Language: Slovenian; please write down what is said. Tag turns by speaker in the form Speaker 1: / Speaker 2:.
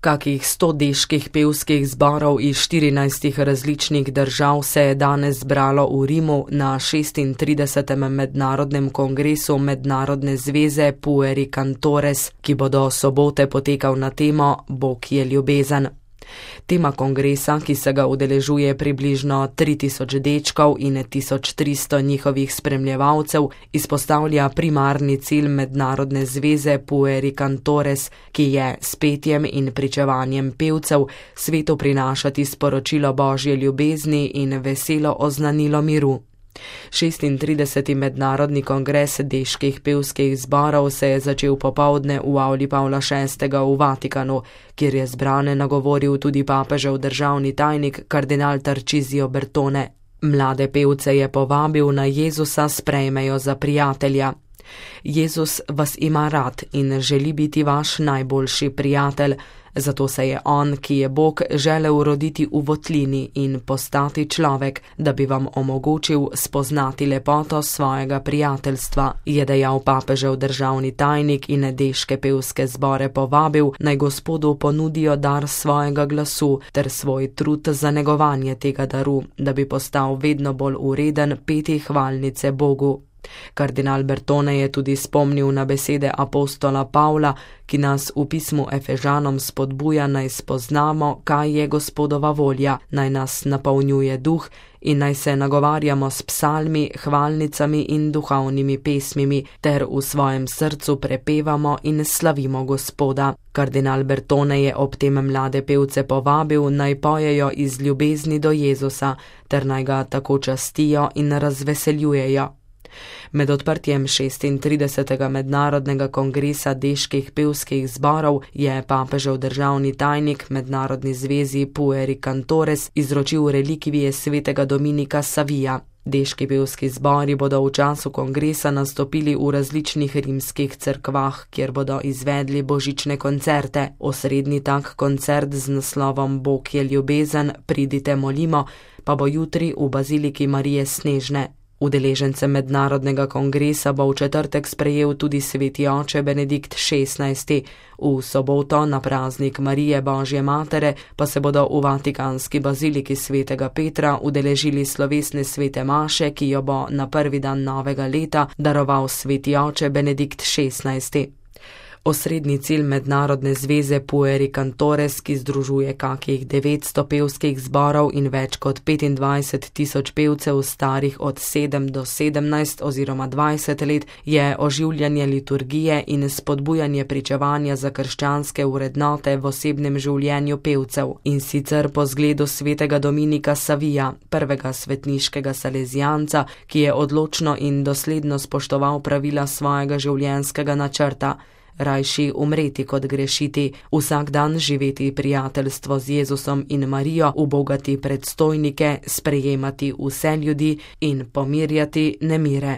Speaker 1: Kakih 100 deških pevskih zborov iz 14 različnih držav se je danes zbralo v Rimu na 36. mednarodnem kongresu Mednarodne zveze Pueri Cantores, ki bo do sobote potekal na temo Bog je ljubezen. Tema kongresa, ki se ga udeležuje približno 3000 dečkov in 1300 njihovih spremljevalcev, izpostavlja primarni cilj Mednarodne zveze Pueri Cantores, ki je s petjem in pričevanjem pevcev svetu prinašati sporočilo Božje ljubezni in veselo oznanilo miru. 36. mednarodni kongres deških pevskih zborov se je začel popoldne v avli Pavla VI. V Vatikanu, kjer je zbrane nagovoril tudi papežev državni tajnik kardinal Tarcisio Bertone. Mlade pevce je povabil, naj Jezusa sprejmejo za prijatelja. Jezus vas ima rad in želi biti vaš najboljši prijatelj, zato se je on, ki je Bog, želel roditi v votlini in postati človek, da bi vam omogočil spoznati lepoto svojega prijateljstva, je dejal papežev državni tajnik in deške pevske zbore povabil, naj Gospodu ponudijo dar svojega glasu ter svoj trud za negovanje tega daru, da bi postal vedno bolj ureden peti hvalnice Bogu. Kardinal Bertone je tudi spomnil na besede apostola Pavla, ki nas v pismu Efežanom spodbuja, naj spoznamo, kaj je Gospodova volja, naj nas napolnjuje duh in naj se nagovarjamo s psalmi, hvalnicami in duhovnimi pesmimi ter v svojem srcu prepevamo in slavimo Gospoda. Kardinal Bertone je ob tem mlade pevce povabil, naj pojejo iz ljubezni do Jezusa ter naj ga tako častijo in razveseljujejo. Med odprtjem 36. mednarodnega kongresa deških pevskih zborov je papežev državni tajnik Mednarodni zvezi Pueri Cantores izročil relikvije svetega Dominika Savija. Deški pevski zbori bodo v času kongresa nastopili v različnih rimskih cerkvah, kjer bodo izvedli božične koncerte. Osrednji tak koncert z naslovom Bog je ljubezen, pridite molimo, pa bo jutri v baziliki Marije Snežne. Udeležence mednarodnega kongresa bo v četrtek sprejel tudi sveti oče Benedikt XVI. V soboto na praznik Marije Božje matere pa se bodo v vatikanski baziliki svetega Petra udeležili slovesne svete maše, ki jo bo na prvi dan novega leta daroval sveti oče Benedikt XVI. Osrednji cilj Mednarodne zveze Pueri Cantores, ki združuje kakih 900 pevskih zborov in več kot 25 000 pevcev starih od 7 do 17 oziroma 20 let, je oživljanje liturgije in spodbujanje pričevanja za krščanske vrednote v osebnem življenju pevcev, in sicer po zgledu svetega Dominika Savija, prvega svetniškega salezijanca, ki je odločno in dosledno spoštoval pravila svojega življenjskega načrta. Rajši umreti kot grešiti, vsak dan živeti prijateljstvo z Jezusom in Marijo, ubogati predstojnike, sprejemati vse ljudi in pomirjati nemire.